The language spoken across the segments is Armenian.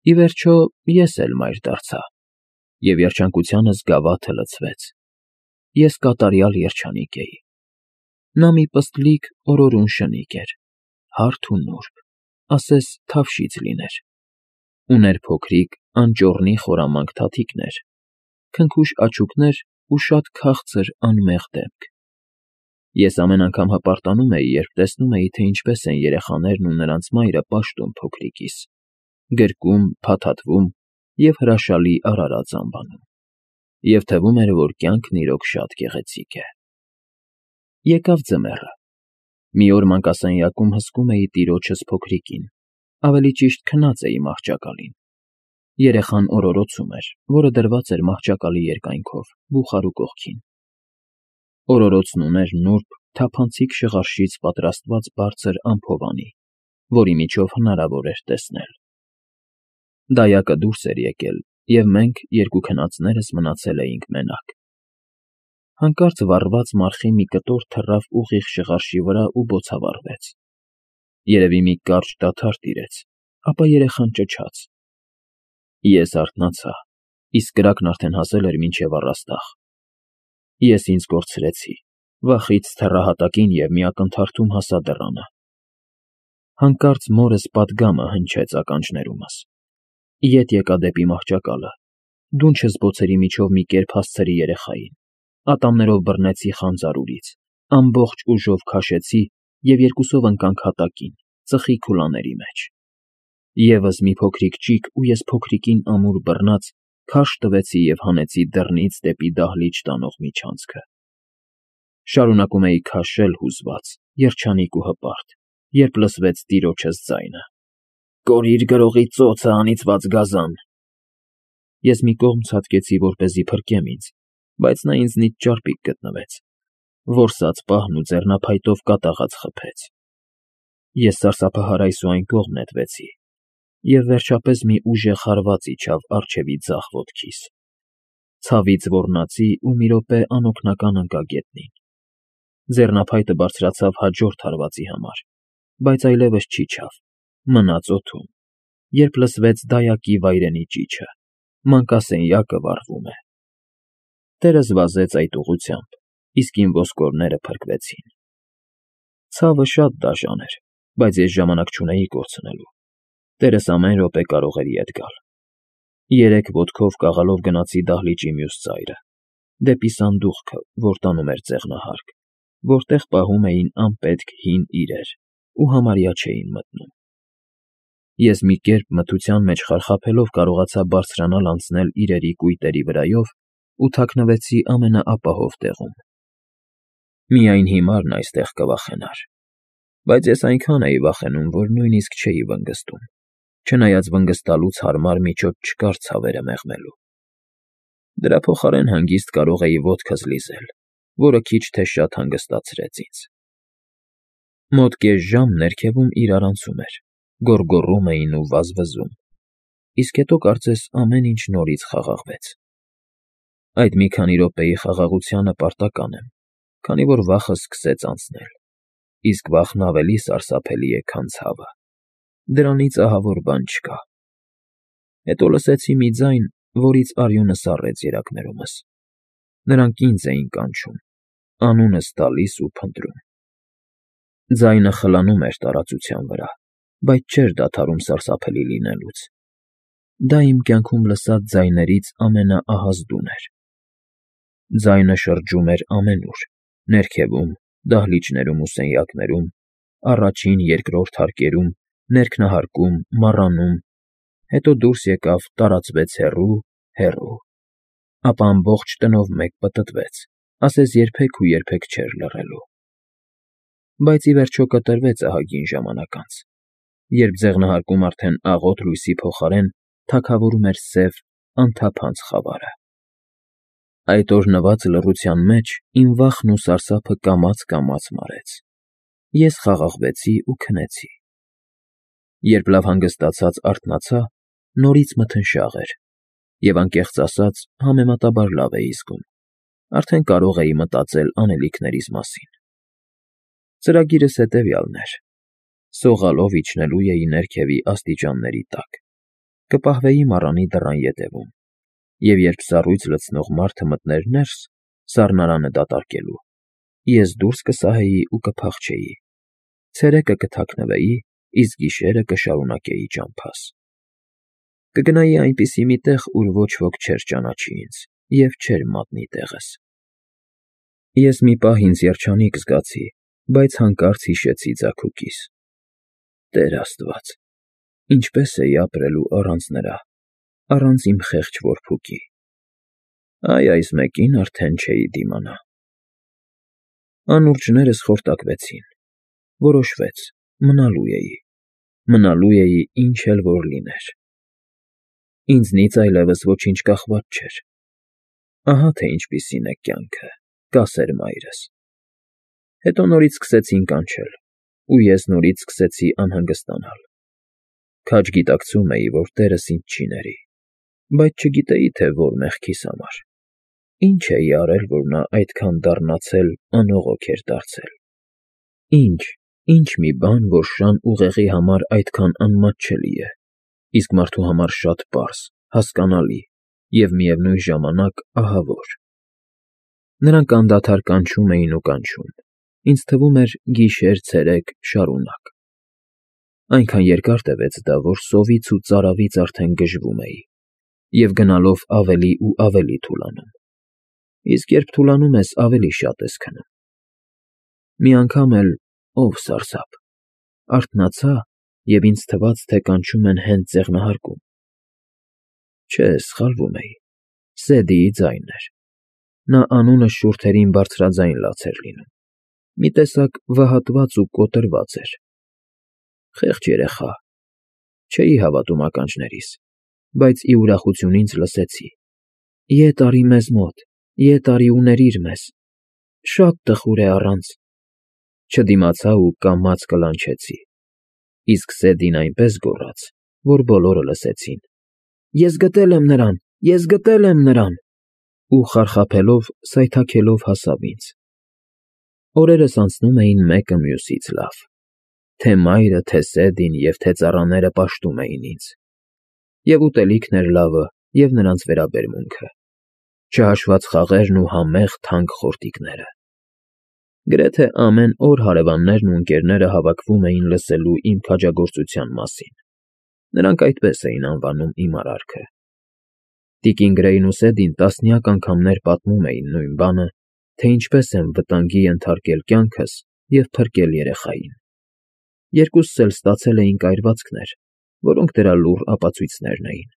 Ի վերջո ես էլ մայր դարձա, և երջանկությանս գավաթը լցվեց. ես կատարյալ երջանիկ էի։ Նա մի պստլիկ օրորուն շնիկ էր, հարթ ու նուրբ, ասես թավշից լիներ, ուներ փոքրիկ անճոռնի խորամանկ թաթիկներ, քնքուշ աչուկներ ու շատ քաղցր անմեղ դեմք։ Ես ամեն անգամ հպարտանում էի, երբ տեսնում էի, թե ինչպես են երեխաներն ու նրանց մայրը պաշտում փոքրիկիս, գրկում, փաթաթվում և հրաշալի արարած անվանում, և թվում էր, որ կյանքն իրոք շատ գեղեցիկ է։ Եկավ ձմեռը։ Մի օր մանկասենյակում հսկում էի տիրոջս փոքրիկին, ավելի ճիշտ քնած էի մահճակալին։ Երեխան օրորոցում էր, որը դրված էր մահճակալի երկայնքով, բուխարու կողքին։ Օրորոցն ուներ նուրբ, թափանցիկ շղարշից պատրաստված բարձր ամփովանի, որի միջով հնարավոր էր տեսնել։ Դայակը դուրս էր եկել, և մենք, երկու քնածներս, մնացել էինք մենակ։ Հանկարծ վառված մարխի մի կտոր թռավ ուղիղ շղարշի վրա ու բոցավառվեց։ Երևի մի կարճ դադար տիրեց, ապա երեխան ճչաց։ Ես արթնացա, իսկ կրակն արդեն հասել էր մինչև առաստաղ։ Ես ինձ կորցրեցի, վախից թռա հատակին և մի ակնթարթում հասա դռանը։ Հանկարծ մորս պատգամը հնչեց ականջներումս։ Ետ եկա դեպի մահճակալը, դունչս բոցերի միջով մի կերպ հասցրի երեխային, ատամներով բռնեցի խանձարուրից, ամբողջ ուժով քաշեցի և երկուսով ընկանք հատակին, ծխի քուլաների մեջ։ Եվս մի փոքրիկ ճիգ ու ես փոքրիկին ամուր բռնած քարշ տվեցի և հանեցի դռնից դեպի դահլիճ տանող միջանցքը։ Շարունակում էի քաշել հուզված, երջանիկ ու հպարտ, երբ լսվեց տիրոջս ձայնը. «Կորիր գրողի ծոցը, անիծված գազան»։ Ես մի կողմ ցատկեցի, որպեսզի փրկեմ ինձ, բայց նա ինձնից ճարպիկ գտնվեց, որսաց պահն ու ձեռնափայտով կատաղած խփեց։ Ես սարսափահար այս ու այն կողմ նետվեցի, և վերջապես մի ուժեղ հարված իջավ առջևի ձախ ոտքիս։ Ցավից ոռնացի ու մի րոպե անօգնական ընկա գետնին։ Ձեռնափայտը բարձրացավ հաջորդ հարվածի համար, բայց այլևս չիջավ, մնաց օդում, երբ լսվեց դայակի վայրենի ճիչը. մանկասենյակը վառվում է։ Տերս վազեց այդ ուղղությամբ, իսկ իմ ոսկորները փրկվեցին։ Ցավը շատ դաժան էր, բայց ես ժամանակ չունեի կորցնելու։ Տերս ամեն րոպե կարող էր ետ գալ։ 3 ոտքով կաղալով գնացի դահլիճի մյուս ծայրը, դեպի սանդուղքը, որ տանում էր ձեղնահարկ, որտեղ պահում էին անպետք հին իրեր ու համարյա չէին մտնում։ Ես մի կերպ մթության մեջ խարխափելով կարողացա բարձրանալ անցնել իրերի կույտերի վրայով ու թաքնվեցի ամենաապահով տեղում։ Միայն հիմարն այստեղ կվախենար, բայց ես այնքան էի վախենում, որ նույնիսկ չէի վնգստում, չնայած վնգստալուց հարմար միջոց չկար ցավերը մեղմելու։ Դրա փոխարեն հանգիստ կարող էի ոտքս լիզել, որը քիչ թե շատ հանգստացրեց ինձ։ Մոտ կես ժամ ներքևում իրարանցում էր, գոռգոռում էին ու վազվզում, իսկ հետո կարծես ամեն ինչ նորից խաղաղվեց։ Այդ մի քանի րոպեի խաղաղությանը պարտական եմ, քանի որ վախը սկսեց անցնել, իսկ վախն ավելի սարսափելի է, քան ցավը։ Դրանից ահավոր բան չկա։ Հետո լսեցի մի ձայն, որից արյունը սառեց երակներումս։ Նրանք ինձ էին կանչում, անունս տալիս ու փնտրում։ Ձայնը խլանում էր տարածության վրա, բայց չէր դադարում սարսափելի լինելուց։ Դա իմ կյանքում լսած ձայներից ամենաահազդուն էր։ Ձայնը շրջում էր ամենուր՝ ներքևում, դահլիճներում ու սենյակներում, առաջին, երկրորդ հարկերում, ներքնահարկում, մառանում, հետո դուրս եկավ, տարածվեց հեռու, հեռու, ապա ամբողջ տնով մեկ պտտվեց, ասես երբեք ու երբեք չէր լռելու։ Բայց ի վերջո կտրվեց ահագին ժամանակ անց, երբ ձեղնահարկում արդեն աղոտ լույսի փոխարեն թագավորում էր սև, անթափանց խավարը։ Այդ օրհնված լռության մեջ իմ վախն ու սարսափը կամաց մարեց։ Ես խաղաղվեցի ու քնեցի։ Երբ լավ հանգստացած արթնացա, նորից մթնշաղ էր, և անկեղծ ասած, համեմատաբար լավ էի զգում, արդեն կարող էի մտածել անելիքներիս մասին։ Ծրագիրս հետևյալն էր. սողալով իջնելու էի ներքևի աստիճանների տակ, կպահվեի մառանի դռան ետևում, և երբ սառույց լցնող մարդը մտներ ներս, սառնարանը դատարկելու, ես դուրս կսահեի ու կփախչեի, ցերեկը կթաքնվեի, իսկ գիշերը կշարունակեի ճամփաս։ Կգնայի այնպիսի մի տեղ, ուր ոչ ոք չէր ճանաչի ինձ և չէր մատնի տեղս։ Ես մի պահ ինձ երջանիկ զգացի, բայց հանկարծ հիշեցի ձագուկիս։ Տեր Աստված, ինչպե՞ս էի ապրելու առանց նրա, առանց իմ խեղճ որբուկի։ Այ այս մեկին արդեն չէի դիմանա։ Անուրջներս խորտակվեցին։ Որոշվեց, մնալու էի ինչ էլ որ լիներ։ Ինձնից այլևս ոչինչ կախված չէր։ Ահա թե ինչպիսին է կյանքը, կասեր մայրս։ Հետո նորից սկսեցին կանչել, ու ես նորից սկսեցի անհանգստանալ։ Քաջ գիտակցում էի, որ Տերս ինձ չի ների, բայց չգիտեի, թե որ մեղքիս համար։ Ինչ էի արել, որ նա այդքան դառնացել անողոք էր դարձել։ Ինչ մի բան, որ շան ուղեղի համար այդքան անմատչելի է, իսկ մարդու համար շատ պարզ, հասկանալի և միևնույն ժամանակ ահավոր։ Նրանք անդադար կանչում էին ու կանչում, ինձ թվում էր գիշեր֊ցերեկ շարունակ։ Այնքան երկար տևեց դա, որ սովից ու ծարավից արդեն գժվում էի և գնալով ավելի ու ավելի թուլանում, իսկ երբ թուլանում ես, ավելի շատ ես քնում։ Մի անգամ էլ, ով սարսափ, արթնացա և ինձ թվաց, թե կանչում են հենց ձեղնահարկում։ Չէ, սխալվում էի, Սեդիի ձայնն էր։ Նա անունս շուրթերին բարձրաձայն լաց էր լինում, մի տեսակ վհատված ու կոտրված էր։ Խեղճ երեխա, չէի հավատում ականջներիս, բայց ի ուրախություն ինձ լսեցի. «Ետ արի մեզ մոտ, ետ արի ու ներիր մեզ, շատ տխուր է առանց»։ Չդիմացա ու կամաց կլանչեցի, իսկ Սեդին այնպես գոռաց, որ բոլորը լսեցին. «Ես գտել եմ նրան, ես գտել եմ նրան» ու խարխափելով, սայթաքելով հասավ ինձ։ Օրերս անցնում էին մեկը մյուսից լավ։ Թե մայրը, թե Սեդին և թե ծառաները պաշտում էին ինձ։ Եվ ուտելիքն էր լավը, և նրանց վերաբերմունքը, չհաշված խաղերն ու համեղ թանկ խորտիկները։ Գրեթե ամեն օր հարևաններն ու ընկերները հավաքվում էին լսելու իմ քաջագործության մասին։ Նրանք այդպես էին անվանում իմ արարքը։ Տիկին Գրեյն ու Սեդին տասնյակ անգամներ պատմում էին նույն բանը, թե ինչպես եմ վտանգի ենթարկել կյանքս և փրկել երեխային։ Երկուսս էլ ստացել էինք այրվածքներ, որոնք դրա լուռ ապացույցներն էին։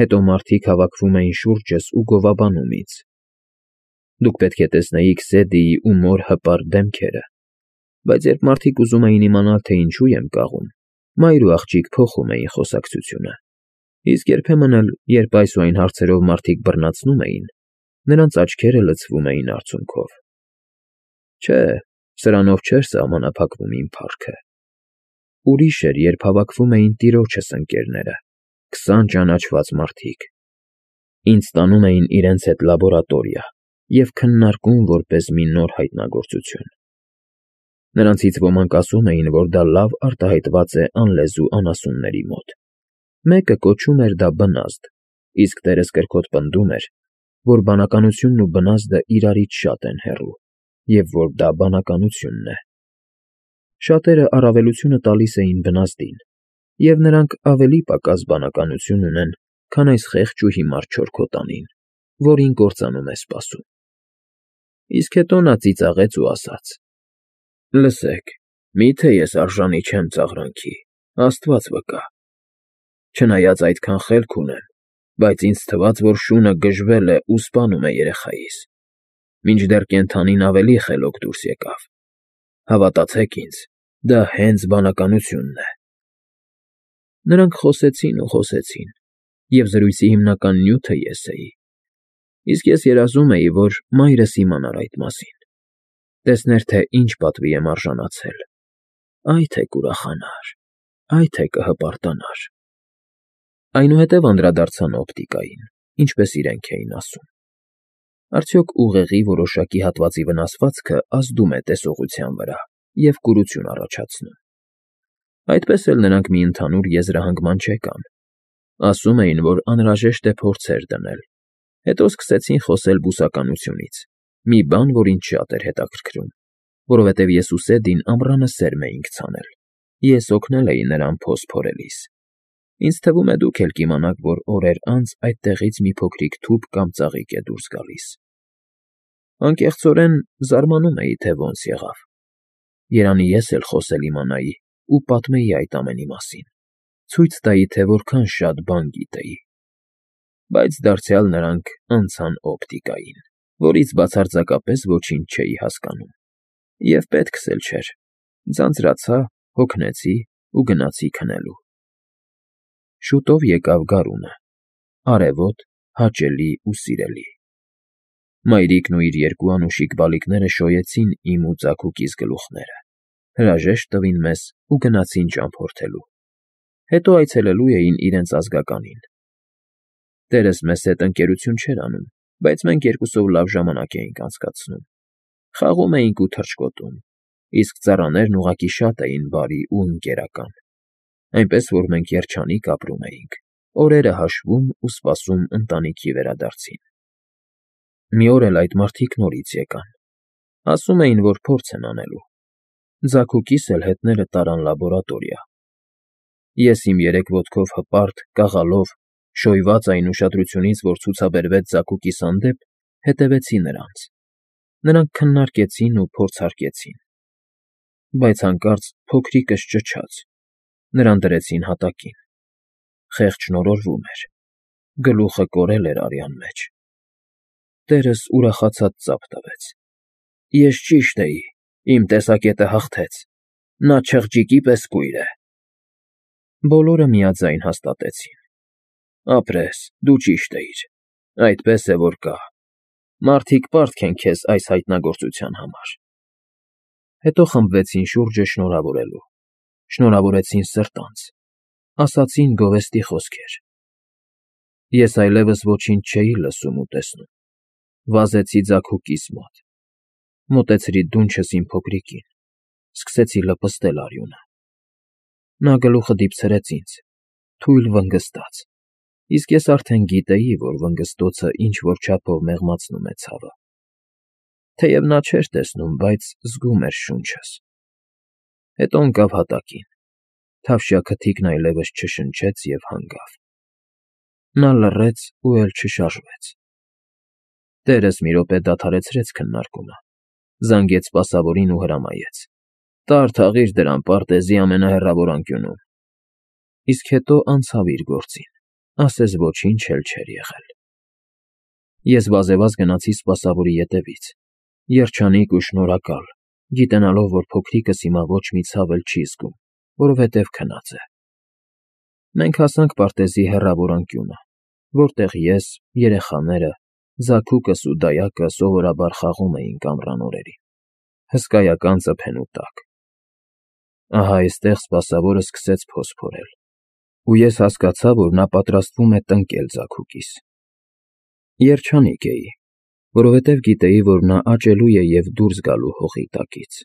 Հետո մարդիկ հավաքվում էին շուրջս ու գովաբանում ինձ։ Դուք պետք է տեսնեիք Սեդիի ու մոր հպարտ դեմքերը, բայց երբ մարդիկ ուզում էին իմանալ, թե ինչու եմ կաղում, մայր ու աղջիկ փոխում էին խոսակցությունը, իսկ երբեմն էլ, երբ այս ու այն հարցերով մարդիկ բռնացնում էին, նրանց աչքերը լցվում էին արցունքով։ Չէ, սրանով չէր սահմանափակվում իմ փառքը։ Ուրիշ էր, երբ հավաքվում էին տիրոջս ընկերները, 20 ճանաչված մարդիկ։ Ինձ տանում էին իրենց հետ լաբորատորիա և քննարկում որպես մի նոր հայտնագործություն։ Նրանցից ոմանք ասում էին, որ դա լավ արտահայտված է անլեզու անասունների մոտ։ Մեկը կոչում էր դա բնազդ, իսկ տերս կրկոտ պնդում էր, որ բանականությունն ու բնազդը իրարից շատ են հեռու, և որ դա բանականությունն է։ Շատերը առավելությունը տալիս էին բնազդին, և նրանք ավելի պակաս բանականություն ունեն, քան այս խեղճ ու հիմար չորքոտանին, որին կործանում է սպասում։ Իսկ հետո նա ծիծաղեց ու ասաց. «Լսեք, մի՞թե ես արժանի չեմ ծաղրանքի, Աստված վկա։ Չնայած այդքան խելք ունեմ, բայց ինձ թվաց, որ շունը գժվել է ու սպանում է երեխայիս, մինչդեռ կենդանին ավելի խելոք դուրս եկավ։ Հավատացեք ինձ, դա հենց բանականությունն է»։ Նրանք խոսեցին ու խոսեցին, և զրույցի հիմնական նյութը ես էի, իսկ ես երազում էի, որ մայրս իմանար այդ մասին, տեսներ, թե ինչ պատվի եմ արժանացել, այ թե կուրախանար, այ թե կհպարտանար։ Այնուհետև անդրադարձան օպտիկային, ինչպես իրենք էին ասում։ Արդյոք ուղեղի որոշակի հատվածի վնասվածքը ազդում է տեսողության վրա և կուրություն առաջացնում։ Այդպես էլ նրանք մի ընդհանուր եզրահանգման չեկան, Ասում էին, որ անհրաժեշտ է փորձեր դնել, հետո սկսեցին խոսել բուսականությունից, մի բան, որ ինձ շատ էր հետաքրքրում, որովհետև ես ու Սեդին ամռանը սերմ էինք ցանել, ես օգնել էի նրան փոս փորելիս։ Ինձ թվում է դուք էլ կիմանաք, որ օրեր անց այդտեղից մի փոքրիկ թուփ կամ ծաղիկ է դուրս գալիս։ Անկեղծորեն զարմանում էի, թե ոնց եղավ։ Երանի ես էլ խոսել իմանայի ու պատմեի այդ ամենի մասին, ցույց տայի, թե որքան շատ բան գիտեի։ Բայց դարձյալ նրանք անցան օպտիկային, որից բացարձակապես ոչինչ չէի հասկանում։ Եվ պետքս էլ չէր, ձանձրացա, հոգնեցի ու գնացի քնելու։ Շուտով եկավ գարունը, արևոտ, հաճելի ու սիրելի։ Մայրիկն ու իր երկու անուշիկ բալիկները շոյեցին իմ ու ձագուկիս գլուխները, հրաժեշտ տվին մեզ ու գնացին ճամփորդելու, հետո այցելելու էին իրենց ազգականին։ Տերս մեզ հետ ընկերություն չէր անում, բայց մենք երկուսով լավ ժամանակ էինք անցկացնում, խաղում էինք ու թռչկոտում, իսկ ծառաներն ուղղակի շատ էին բարի ու ընկերական, այնպես որ մենք երջանիկ ապրում էինք, օրերը հաշվում ու սպասում ընտանիքի վերադարձին։ Մի օր էլ այդ մարդիկ նորից եկան, ասում էին, որ փորձ են անելու։ Ձագուկիս էլ հետները տարան լաբորատորիա։ Ես իմ երեք ոտքով հպարտ, կաղալով, շոյված այն ուշադրությունից, որ ցուցաբերվեց ձագուկիս հանդեպ, հետևեցի նրանց։ Նրանք քննարկեցին ու փորձարկեցին։ Բայց հանկարծ փոքրիկս ճչաց, նրան դրեցին հատակին։ Խեղճ նորորվում էր, գլուխը կորել էր արյան մեջ։ Տերս ուրախացած ծափ տվեց։ Ես ճիշտ էի, իմ տեսակետը հաղթեց, նա չղջիկի պես կույր է։ Բոլորը միաձայն հաստատեցին. ապրես, դու ճիշտ էիր, այդպես է որ կա։ Մարդիկ պարտք են քեզ այս հայտնագործության համար։ Հետո խմբվեցին շուրջը շնորհավորելու, շնորհավորեցին սրտանց, ասացին գովեստի խոսքեր։ Ես այլևս ոչինչ չէի լսում ու տեսնում, վազեցի ձագուկիս մոտ, մոտեցրի դունչս իմ փոքրիկին, սկսեցի լպստել արյունը։ Նա գլուխը դիպցրեց ինձ, թույլ վնգստաց, իսկ ես արդեն գիտեի, որ վնգստոցը ինչ֊որ չափով մեղմացնում է ցավը։ Թեև նա չէր տեսնում, բայց զգում էր շունչս։ Հետո ընկավ հատակին, թավշյա քթիկն այլևս չշնչեց և հանգավ։ Նա լռեց ու էլ չշարժվեց։ Տերս մի րոպե դադարեցրեց քննարկումը, զանգեց սպասավորին ու հրամայեց. «Տար թաղիր դրան պարտեզի ամենահեռավոր անկյունում»։ Իսկ հետո անցավ իր գործին, ասես ոչինչ էլ չէր եղել։ Ես վազեվազ գնացի սպասավորի ետևից, երջանիկ ու շնորհակալ, գիտենալով, որ փոքրիկս հիմա ոչ մի ցավ էլ չի զգում, որովհետև քնած է։ Մենք հասանք պարտեզի հեռավոր անկյունը, որտեղ ես, երեխաները, ձագուկս ու դայակը սովորաբար խաղում էինք ամռան օրերին, հսկայական ծփենու տակ։ Ահա այստեղ սպասավորը սկսեց փոս փորել, ու ես հասկացա, որ նա պատրաստվում է տնկել ձագուկիս։ Երջանիկ էի, որովհետև գիտեի, որ նա աճելու է և դուրս գալու հողի տակից։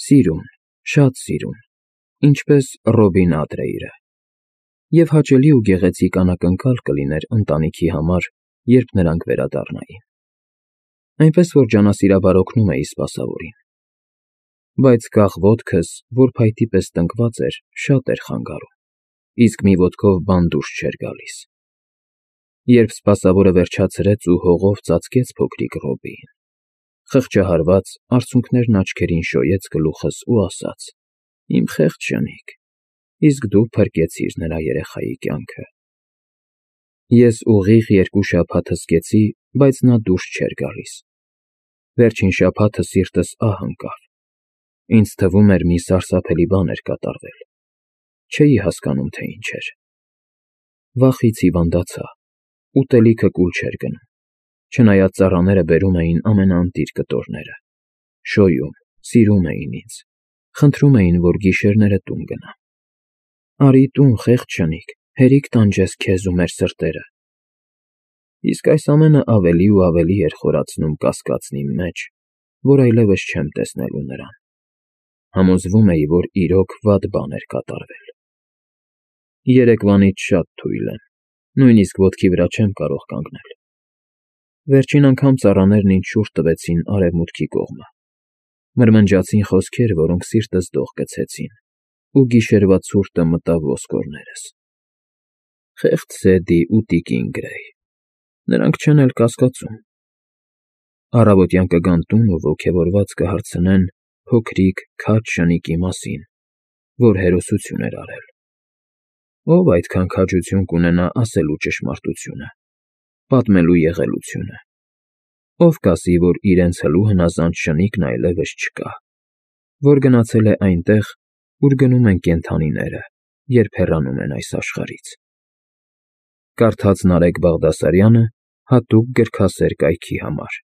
Սիրուն, շատ սիրուն, ինչպես Ռոբին Ադրեյրը։ Եվ հաճելի ու գեղեցիկ անակնկալ կլիներ ընտանիքի համար, երբ նրանք վերադառնային։ Այնպես որ ջանասիրաբար օգնում էի սպասավորին։ Բայց կախ ոտքս, որ փայտի պես տնկված էր, շատ էր խանգարում, իսկ մի ոտքով բան դուրս չէր գալիս։ Երբ սպասավորը վերջացրեց ու հողով ծածկեց փոքրիկ Ռոբիին, խղճահարված, արցունքներն աչքերին շոյեց գլուխս ու ասաց. «Իմ խեղճ ջանիկ, իսկ դու փրկեցիր նրա երեխայի կյանքը»։ Ես ուղիղ 2 շաբաթ հսկեցի, բայց նա դուրս չէր գալիս։ Վերջին շաբաթը սիրտս ահ ընկավ։ Ինձ թվում էր մի սարսափելի բան էր կատարվել։ Չէի հասկանում, թե ինչ էր։ Վախից հիվանդացա, ուտելիքը կուլ չէր գնում, չնայած ծառաները բերում էին ամենաընտիր կտորները, շոյում, սիրում էին ինձ, խնդրում էին, որ գիշերները տուն գնամ։ «Արի տուն, խեղճ ջանիկ, հերիք տանջես քեզ ու մեր սրտերը»։ Իսկ այս ամենը ավելի ու ավելի էր խորացնում կասկածն իմ մեջ, որ այլևս չեմ տեսնելու նրան։ Համոզվում էի, որ իրոք վատ բան էր կատարվել։ Երեկվանից շատ թույլ եմ, նույնիսկ ոտքի վրա չեմ կարող կանգնել։ Վերջին անգամ ծառաներն ինձ շուռ տվեցին արևմուտքի կողմը, մրմնջացին խոսքեր, որոնք սիրտս դող գցեցին, ու գիշերվա ցուրտը մտավ ոսկորներս։ Խեղճ Սեդի ու տիկին Գրեյ, նրանք չեն էլ կասկածում։ Առավոտյան կգան տուն ու ոգևորված կհարցնեն փոքրիկ քաջ շնիկի մասին, որ հերոսություն էր արել։ Ո՞վ այդքան քաջություն կունենա ասելու ճշմարտությունը, պատմելու եղելությունը։ Ո՞վ կասի, որ իրենց հլու հնազանդ շնիկն այլևս չկա, որ գնացել է այնտեղ, ուր գնում են կենդանիները, երբ հեռանում են այս աշխարհից։ Կարդաց Նարեկ Բաղդասարյանը հատուկ գրքասեր կայքի համար։